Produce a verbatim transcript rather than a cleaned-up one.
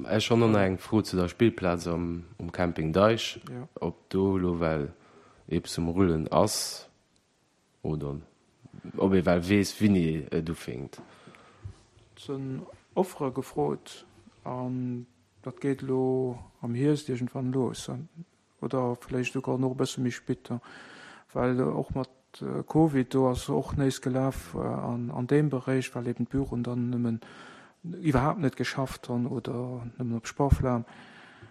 Ech hunn och nach eng Fro zu der Spillplaz am um Camping Deich, Ja. ob do elo well eppes um Rullen ass oder ob ee well weess, wéini et ufänkt. Et sinn Offere gefrot an dat geet elo am Hierscht iergendwann los oder vläicht souguer nach e bësse méi spéit, well och mat Covid do ass och nees gelaf an an deem Beréich, well eben d'Büroen dann nëmmen iwwerhaapt net geschafft hunn oder nëmmen op Sparflam.